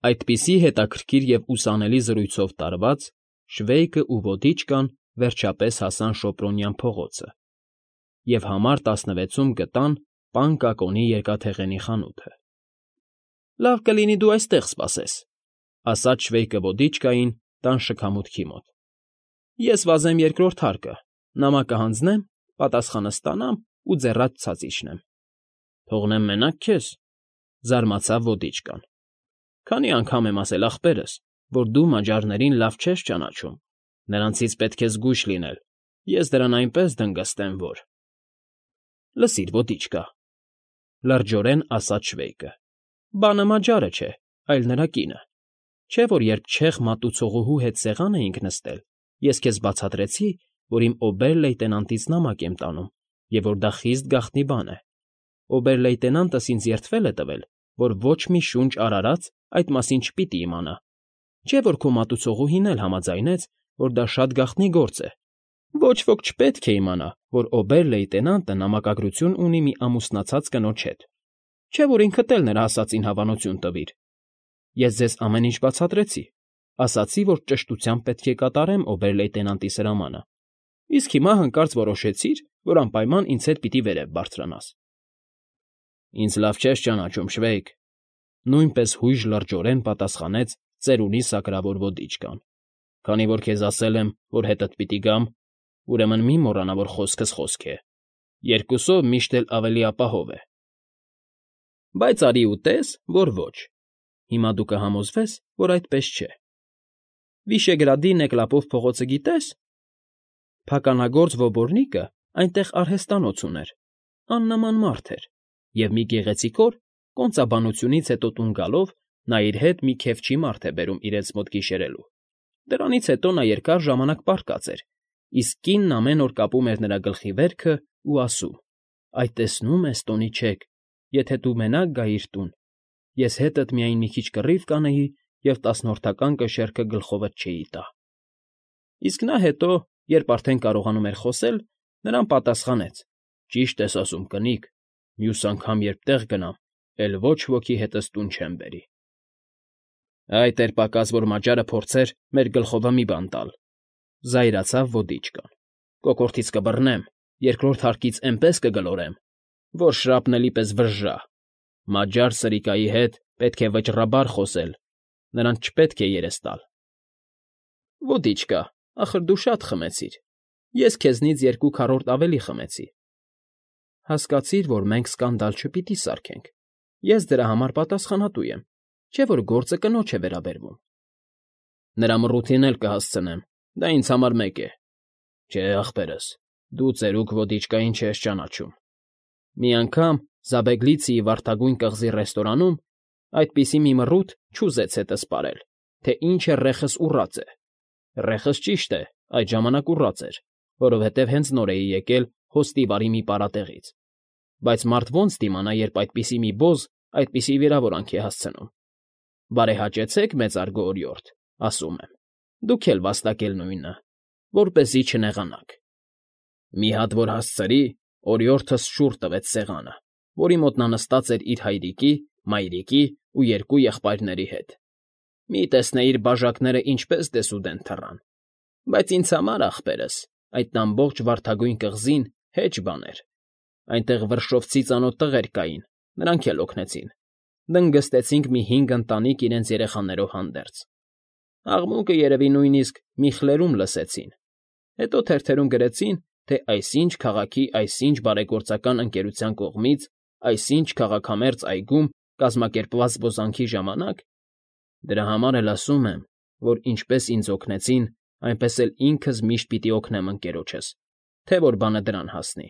Այդպիսի հետաքրքիր և ուսանելի զրույցով տարված՝ Շվեյկն ու վոդիչկան վերջապես հասան Շոպրոնյան փողոցը և համար 16-ում գտան պան Կակոնի երկաթեղենի խանութը։ ֊ Լավ կլինի դու այստեղ սպասես,֊ ասաց Շվեյկը վոդիչկային տան շքամուտքի մոտ։ ֊ Ես վազեմ երկրորդ հարկը, նամակը հանձնեմ, պատասխանը ստանամ ու ձեռաց ցած իջնեմ։ ֊ Թողնեմ մենակ քեզ,֊ զարմացավ վոդիչկան։ ֊ Քանի անգամ եմ ասել ախպերս, որ դու մաջարներին լավ չես ճանաչում, նրանցից պետք է զգույշ լինել, ես դրան այնպես դնգստեմ, որ… ֊ Լսիր, ոդիչկա,֊ լրջորեն ասաց Շվեյկը,֊ բանը մաջարը չէ, այլ նրա կինը։ Չէ՞ որ երբ չեխ մատուցողուհու հետ սեղան էինք նստել, ես քեզ բացատրեցի, որ իմ օբեր֊լեյտենանտից նամակ եմ տանում և որ դա խիստ գաղտնի բան է։ Օբեր֊լեյտենանտս ինձ երդվել է տվել, որ ոչ մի շունչ արարած այդ մասին չպիտի իմանա։ Չէ՞ որ քո մատուցողուհին էլ համաձայնեց, որ դա շատ գաղտնի գործ է։ Ոչ ոք չպետք է իմանա, որ օբեր֊լեյտենանտը նամակագրություն ունի մի ամուսնացած կնոջ հետ։ Չէ՞ որ ինքդ էլ նրա ասածին հավանություն տվիր։ Ես ձեզ ամեն ինչ բացատրեցի, ասացի, որ ճշտությամբ պետք է կատարեմ օբեր֊լեյտենանտի սրամանը, իսկ հիմա հանկարծ որոշեցիր, որ անպայման ինձ հետ պիտի վերև բարձրանաս։ ֊ Ինձ լավ չես ճանաչում, Շվեյկ,֊ նույնպես հույժ լրջորեն պատասխանեց ծերունի սակրավոր ոդիչկան։ Քանի որ քեզ ասել եմ, որ հետդ պիտի գամ, ուրեմն մի մոռանա, որ խոսքս խոսք է. երկուսով միշտ էլ ավելի ապահով է։ ֊ Բայց արի ու տես, որ ոչ։ Հիմա դու կհամոզվես, որ այդպես չէ։ Վիշեգրադի Նեկլապով փողոցը գիտե՞ս։ Փականագործ Ոբորնիկը այնտեղ արհեստանոց ուներ, աննման մարդ էր, և մի գեղեցիկ օր, կոնծաբանությունից հետո տուն գալով, նա իր հետ մի քեֆչի մարդ է բերում իրենց մոտ գիշերելու։ Դրանից հետո նա երկար ժամանակ պառկած էր, իսկ կինն ամեն օր կապում էր նրա գլխի վերքը ու ասում. «Այ տեսնո՞ւմ ես, Տոնիչեկ, եթե դու մենակ գայիր տուն, ես հետդ միայն մի քիչ կռիվ կանեի և տասնորդական կշեռքը գլխովդ չէի տա»։ Իսկ նա հետո, երբ արդեն կարողանում էր խոսել, նրան պատասխանեց. «Ճիշտ ես ասում, կնիկ, մյուս անգամ, երբ տեղ գնամ, էլ ոչ ոքի հետս տուն չեմ բերի»։ Այդ էր պակաս, որ մաջարը փորձեր մեր գլխովը մի բան տալ,֊ զայրացավ ոդիչկան։ Կոկորդից կբռնեմ, երկրորդ հարկից էնպես կգլորեմ, որ շրապնելի պես վժժա։ Մաջար սրիկայի հետ պետք է վճռաբար խոսել, նրանց չպետք է երես տալ։ ֊ Ոդիչկա, ախր դու շատ խմեցիր, ես քեզնից 2 քառորդ ավելի խմեցի։ Հասկացիր, որ մենք սկանդալ չպիտի սարքենք, ես դրա համար պատասխանատու եմ, չէ՞ որ գործը կնոջ է վերաբերվում։ Նրա մռութին էլ կհասցնեմ, դա ինձ համար մեկ է։ Չէ, ախպերս, դու ծերուկ ոդիչկային չես ճանաչում։ Մի անգամ Զաբեգլիցիի վարդագույն կղզի ռեստորանում այդպիսի մի մռութ չուզեց հետս պարել, թե ինչ է ռեխս ուռած է։ Ռեխս ճիշտ է, այդ ժամանակ ուռած էր, որովհետև հենց նոր էի եկել հոստիվարի մի պարատեղից։ Բայց մարդ ո՞նց դիմանա, երբ այդպիսի մի բոզ այդպիսի վիրավորանք է հասցնում։ Բարեհաճեցեք, մեծարգո օրիորդ, ասում եմ, դուք էլ վաստակել նույնը, որպեսզի չնեղանաք։ Մի հատ որ հասցրի, օրիորդս շուռ տվեց սեղանը, որի մոտ նա նստած էր իր հայրիկի, մայրիկի ու 2 եղբայրների հետ։ Մի տեսնեիր բաժակները ինչպես դեսուդեն թռան։ Բայց ինձ համար, ախպերս, այդ ամբողջ վարդագույն կղզին հեչ բան էր։ Այնտեղ վրշովցի ծանոթ տղեր կային, նրանք էլ օգնեցին։ Դնգստեցինք մի 5 ընտանիք իրենց երեխաներով հանդերձ։ Աղմուկը երևի նույնիսկ մի խլերում լսեցին։ Հետո թերթերում գրեցին, թե այսինչ քաղաքի այսինչ բարեգործական ընկերության կողմից այսինչ քաղաքամերձ այգում կազմակերպված զբոսանքի ժամանակ… Դրա համար էլ ասում եմ, որ ինչպես ինձ օգնեցին, այնպես էլ ինքս միշտ պիտի օգնեմ ընկերոջս, թե որ բանը դրան հասնի։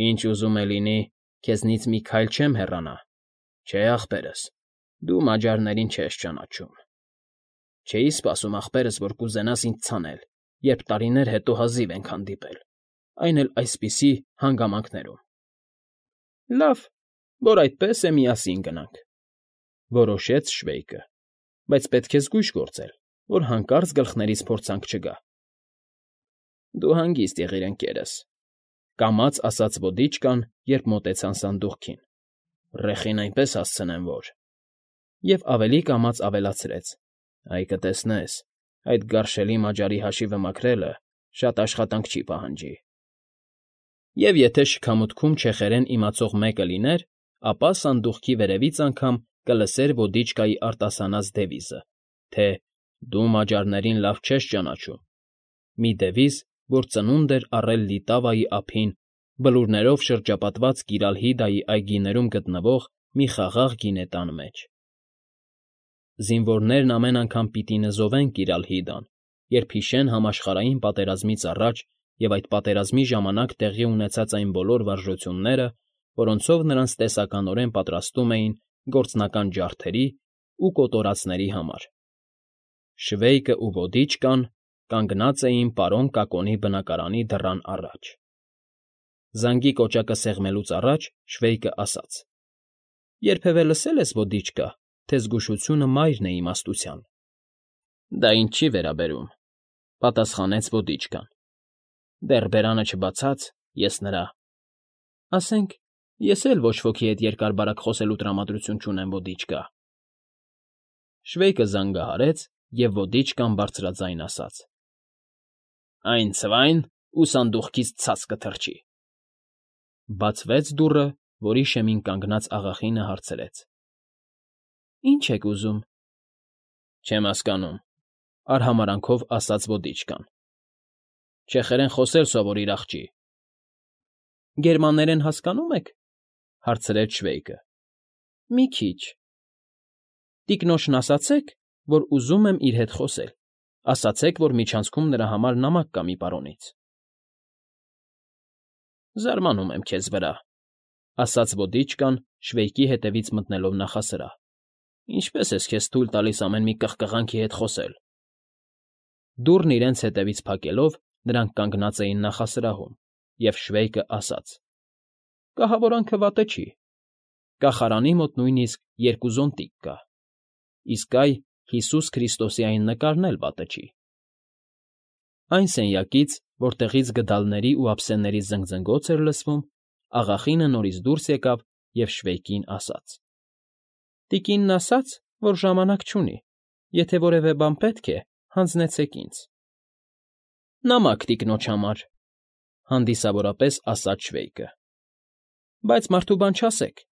Ինչ ուզում է լինի, քեզնից մի քայլ չեմ հեռանա, չէ, ախպերս, դու մաջարներին չես ճանաչում։ Չէի սպասում, ախպերս, որ կուզենաս ինձ ցանել, երբ տարիներ հետո հազիվ ենք հանդիպել, այն էլ այսպիսի հանգամանքներում։ Լավ, որ այդպես է, միասին գնանք,֊ որոշեց Շվեյկը, բայց պետք է զգույշ գործել, որ հանկարծ գլխներիս փորձանք չգա։ Դու հանգիստ եղիր, ընկերս,֊ կամաց ասաց ոդիչկան, երբ մոտեցան սանդուղքին։ Ռեխին այնպես հասցնեմ, որ… Եվ ավելի կամաց ավելացրեց. «Այ կտեսնես, այդ գարշելի մաճարի հաշիվը մաքրելը շատ աշխատանք չի պահանջի»։ Եվ եթե շքամուտքում չեխերեն իմացող մեկը լիներ, ապա սանդուղքի վերևից անգամ կլսեր ոդիչկայի արտասանած դևիզը, թե «Դու մաճարներին լավ չես ճանաչում», մի դևիզ, որ ծնունդ էր առել Լիտավայի ափին բլուրներով շրջապատված Կիրալհիդայի այգիներում գտնվող մի խաղաղ գինետան մեջ։ Զինվորներն ամեն անգամ պիտի նզովեն Կիրալհիդան, երբ հիշեն համաշխարհային պատերազմից առաջ և այդ պատերազմի ժամանակ տեղի ունեցած այն բոլոր վարժությունները, որոնցով նրանց տեսականորեն պատրաստում էին գործնական ջարդերի ու կոտորածների համար։ Շվեյկը ու ոդիչկան կանգնած էին պարոն Կակոնի բնակարանի դռան առաջ։ Զանգի կոճակը սեղմելուց առաջ Շվեյկը ասաց. «Երբևէ լսել ես, ոդիչկա, թե զգուշությունը մայրն է իմաստության»։ «Դա ինձ չի վերաբերում», պատասխանեց ոդիչկան։ «Դեռ բերանը չբացած, ես նրա…» «Ասենք, ես էլ ոչ ոքի հետ երկար֊բարակ խոսելու տրամադրություն չունեմ, ոդիչկա»։ Շվեյկը զանգահարեց, և ոդիչկան բարձրաձայն ասաց. «Այն ցվայն ու սանդուղքից ցած կթռչի»։ Բացվեց դուռը, որի շեմին կանգնած աղախինը հարցրեց. «Ինչ եք ուզում»։ «Չեմ հասկանում», արհամարհանքով ասաց ոդիչկան։ «Չեխերեն խոսել սովորիր, աղջի»։ «Գերմաներեն հասկանո՞ւմ եք», հարցրեց Շվեյկը։ «Մի քիչ»։ «Տիկնոջն ասացեք, որ ուզում եմ իր հետ խոսել, ասացեք, որ միջանցքում նրա համար նամակ կա մի պարոնից»։ «Զարմանում եմ քեզ վրա», ասաց ոդիչկան, Շվեյկի հետևից մտնելով նախասրահ։ «Ինչպե՞ս ես քեզ թույլ տալիս ամեն մի կխկղանքի հետ խոսել»։ Դուռն իրենց հետևից փակելով՝ նրանք կանգնած էին նախասրահում, և Շվեյկը ասաց. «Կահավորանքը վատը չի։ Կախարանի մոտ նույնիսկ 2 զոնտիկ կա, իսկ այ Հիսուս Քրիստոսի այն նկարն էլ վատը չի»։ Այն սենյակից, որտեղից գդալների ու ափսեների զնգզնգոց էր լսվում, աղախինը նորից դուրս եկավ և Շվեյկին ասաց. «Տիկինն ասաց, որ ժամանակ չունի, եթե որևէ բան պետք է, հանձնեցեք ինձ»։ «Նամակ տիկնոջ համար», հանդիսավորապես ասաց Շվեյկը։ «Բայց մարդու բան չասեք»,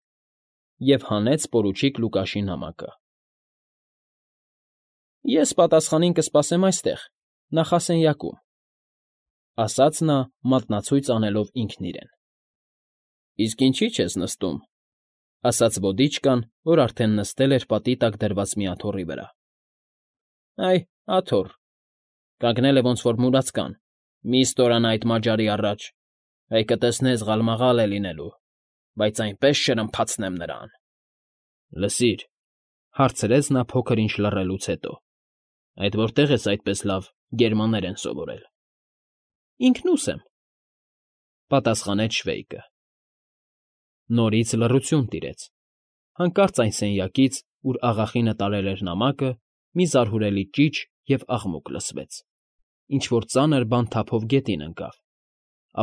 և հանեց պորուչիկ Լուկաշի նամակը։ «Ես պատասխանին կսպասեմ այստեղ, նախասենյակում», ասաց նա, մատնացույց անելով ինքն իրեն։ «Իսկ ինչի՞ չես նստում», ասաց ոդիչկան, որ արդեն նստել էր պատի տակ դրված մի աթոռի վրա։ «Այ, աթոռ, կանգնել է ոնց որ մուրացկան, մի՛ ստորանա այդ մաճարի առաջ, այ կտեսնես ղալմաղալ է լինելու, բայց այնպես շրմփացնեմ նրան»։ «Լսիր», հարցրեց նա փոքր ինչ լռելուց հետո, «այդ որտե՞ղ ես այդպես լավ գերմաներեն սովորել»։ «Ինքնուս եմ», պատասխանեց Շվեյկը։ Նորից լռություն տիրեց։ Հանկարծ այն սենյակից, ուր աղախինը տարել էր նամակը, մի զարհուրելի ճիչ և աղմուկ լսվեց, ինչ֊որ ծանր բան թափով գետին ընկավ,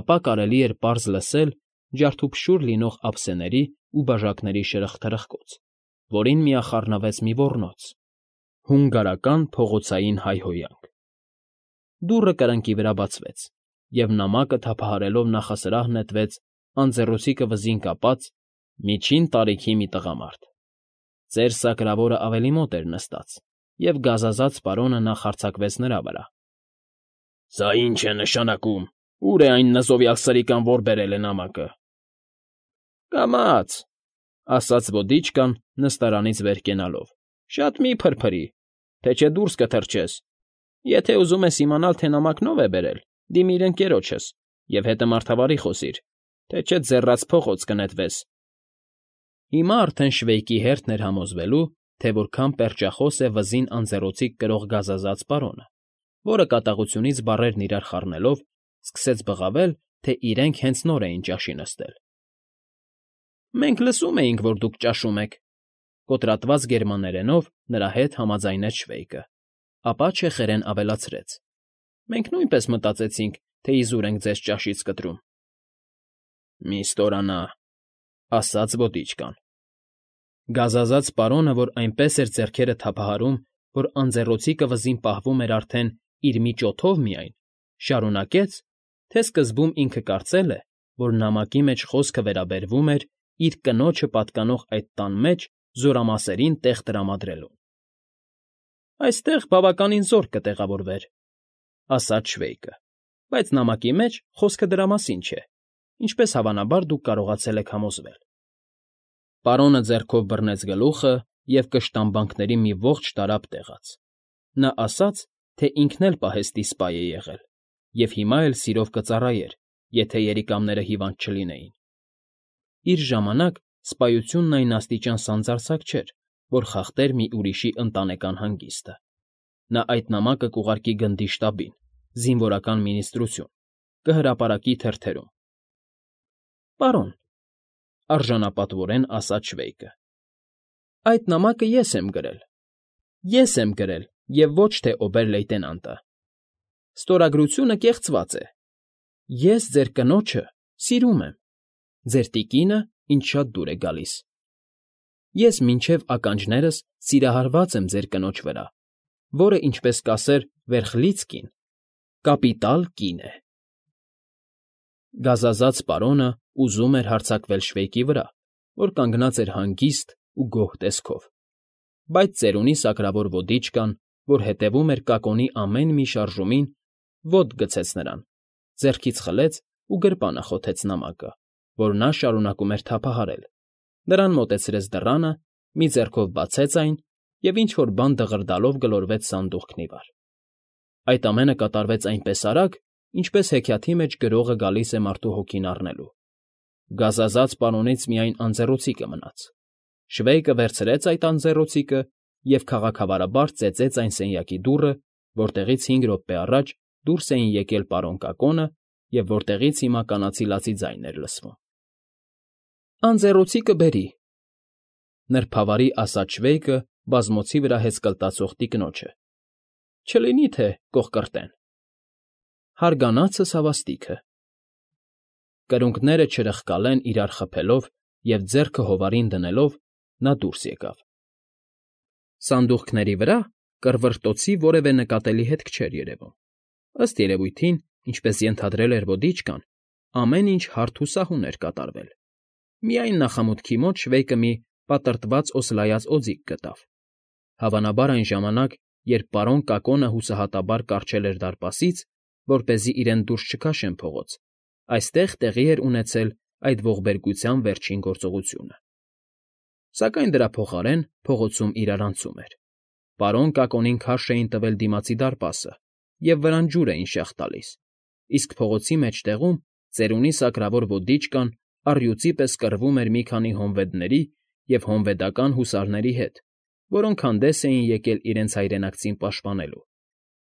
ապա կարելի էր պարզ լսել ջարդուփշուր լինող ափսեների ու բաժակների շրխկթրխկոց, որին միախառնվեց մի ոռնոց, հունգարական փողոցային հայհոյանք։ Դուռը կրկնակի վրա բացվեց, և նամակը թափահարելով նախասրահ նետվեց անձեռոցիկը վզին կապած միջին տարիքի մի տղամարդ։ Ծեր սակրավորը ավելի մոտ էր նստած, և գազազած պարոնը նախ արձակվեց նրա վրա։ «Սա ի՞նչ է նշանակում, ո՞ւր է այն նզովյալ սրիկան, որ բերել է նամակը»։ «Կամաց», ասաց ոդիչկան, նստարանից վեր կենալով, «շատ մի՛ փրփրի, թե չէ դուրս կթռչես։ Եթե ուզում ես իմանալ, թե նամակն ով է բերել, դիմիր ընկերոջս և հետը մարդավարի խոսիր, թե չէ ձեռաց փողոց կնետվես»։ Հիմա արդեն Շվեյկի հերթն էր համոզվելու, թե որքան պերճախոս է վզին անձեռոցիկ կրող գազազած պարոնը, որը կատաղությունից բառերն իրար խառնելով սկսեց բղավել, թե իրենք հենց նոր էին ճաշի նստել։ «Մենք լսում էինք, որ դուք ճաշում եք», կոտրատված գերմաներենով նրա հետ համաձայնեց Շվեյկը, ապա չեխերեն ավելացրեց. «Մենք նույնպես մտածեցինք, թե իզուր ենք ձեզ ճաշից կտրում»։ «Մի՛ ստորանա», ասաց ոդիչկան։ Գազազած պարոնը, որ այնպես էր ձեռքերը թափահարում, որ անձեռոցիկը վզին պահվում էր արդեն իր մի ճոթով միայն, շարունակեց, թե սկզբում ինքը կարծել է, որ նամակի մեջ խոսքը վերաբերվում էր իր կնոջը պատկանող այդ տան մեջ զորամասերին տեղ տրամադրելուն։ «Այստեղ բավականին զորք կտեղավորվեր,֊ ասաց Շվեյկը,֊ բայց նամակի մեջ խոսքը դրա մասին չէ, ինչպես հավանաբար դուք կարողացել եք համոզվել»։ Պարոնը ձեռքով բռնեց գլուխը և կշտամբանքների մի ողջ տարափ տեղաց։ Նա ասաց, թե ինքն էլ պահեստի սպա է եղել և հիմա էլ սիրով կծառայեր, եթե երիկամները հիվանդ չլինեին։ Իր ժամանակ սպայությունն այն աստիճան սանձարձակ չէր, որ խախտեր մի ուրիշի ընտանեկան հանգիստը։ Նա այդ նամակը կուղարկի գնդի շտաբին, զինվորական մինիստրություն, կհրապարակի թերթերում։ «Պարոն,֊ արժանապատվորեն ասաց Շվեյկը,֊ այդ նամակը ես եմ գրել։ Ես եմ գրել, և ոչ թե օբեր֊լեյտենանտը։ Ստորագրությունը կեղծված է։ Ես ձեր կնոջը սիրում եմ։ Ձեր տիկինը ինձ շատ դուր է գալիս։ Ես մինչև ականջներս սիրահարված եմ ձեր կնոջ վրա, որը, ինչպես կասեր Վերխլիցկին, կապիտալ կին է»։ Գազազած պարոնը ուզում էր հարձակվել Շվեյկի վրա, որ կանգնած էր հանգիստ ու գոհ տեսքով, բայց ծերունի սակրավոր ոդիչկան, որ հետևում էր կակոնի ամեն մի շարժումին, ոտք գցեց նրան, ձեռքից խլեց ու գրպանը խոթեց նամակը, որ նա շարունակում էր թափահարել, նրան մոտեցրեց դռանը, մի ձեռքով բացեց այն և ինչ֊որ բան դղրդալով գլորվեց սանդուղքն ի վար։ Այդ ամենը կատարվեց այնպես արագ, ինչպես հեքիաթի մեջ գրողը գալիս է մարդու հոգին առնելու։ Գազազած պարոնից միայն անձեռոցիկը մնաց։ Շվեյկը վերցրեց այդ անձեռոցիկը և քաղաքավարաբար ծեծեց այն սենյակի դուռը, որտեղից 5 րոպե առաջ դուրս էին եկել պարոն Կակոնը և որտեղից հիմա կանացի լացի ձայն էր լսվում։ «Անձեռոցիկը բերի,֊ նրբավարի ասաց Շվեյկը բազմոցի վրա հեծկլտացող տիկնոջը,֊ չլինի թե կոխկրտեն»։ Հարգանացս հավաստիքը։ Կրունկները չրխկալեն իրար խփելով և ձեռքը հովարին դնելով՝ նա դուրս եկավ։ Սանդուղքների վրա կռվռտոցի որևէ նկատելի հետք չէր երևում։ Ըստ երևույթին, ինչպես ենթադրել էր ոդիչկան, ամեն ինչ հարթ ու սահուն էր կատարվել։ Միայն նախամուտքի մոտ Շվեյկը մի պատրտված օսլայած օձիք գտավ։ Հավանաբար այն ժամանակ, երբ պարոն Կակոնը հուսահատաբար կառչել էր դարպասից, որպեսզի իրեն դուրս չքաշեն փողոց, այստեղ տեղի էր ունեցել այդ ողբերգության վերջին գործողությունը։ Սակայն դրա փոխարեն փողոցում իրարանցում էր։ Պարոն Կակոնին քարշ էին տվել դիմացի դարպասը և վրան ջուր էին շաղ տալիս, իսկ փողոցի մեջտեղում ծերունի սակրավոր ոդիչկան առյուծի պես կռվում էր մի քանի հոնվեդների և հոնվեդական հուսարների հետ, որոնք հանդես էին եկել իրենց հայրենակցին պաշտպանելու։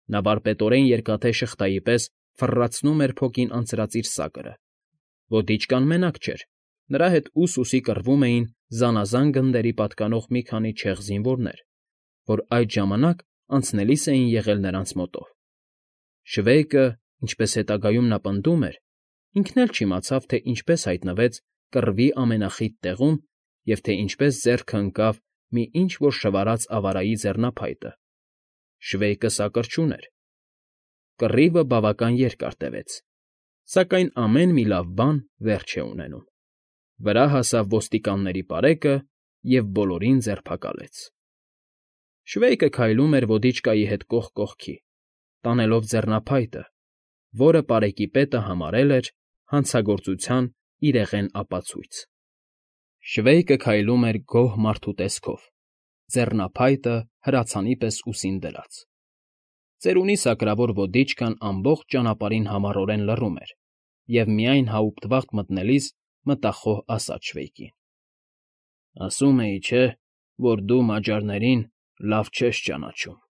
Նա վարպետորեն երկաթե շղթայի պես ֆռռացնում էր փոքին անցրած իր սակրը։ Ոդիչկան մենակ չէր, նրա հետ ուս֊ուսի կռվում էին զանազան գնդերի պատկանող մի քանի չեղ զինվորներ, որ այդ ժամանակ անցնելիս էին եղել նրանց մոտով։ Շվեյկը, ինչպես հետագայում նա պնդում էր, ինքն էլ չիմացավ, թե ինչպես հայտնվեց կռվի ամենախիտ տեղում և թե ինչպես ձեռքը ընկավ մի ինչ֊որ շվարած ավարայի ձեռնափայտը։ Շվեյկը սակր չուներ։ Կռիվը բավական երկար տևեց, սակայն ամեն մի լավ բան վերջ է ունենում։ Վրա հասավ ոստիկանների պարեկը և բոլորին ձերբակալեց։ Շվեյկը քայլում էր ոդիչկայի հետ կողք կողքի, տանելով ձեռնափայտը, որը պարեկի պետը համարել էր հանցագործության իրեղեն ապացույց։ Շվեյկը քայլում էր գոհ մարդու տեսքով, ձեռնափայտը հրացանի պես ուսին դրած։ Ծերունի սակրավոր ոդիչկան ամբողջ ճանապարհին համառորեն լռում էր և միայն հաուպտվաղ մտնելիս մտախոհ ասաց Շվեյկին. «Ասում էի, չէ՞, որ դու մաջարներին լավ չես ճանաչում»։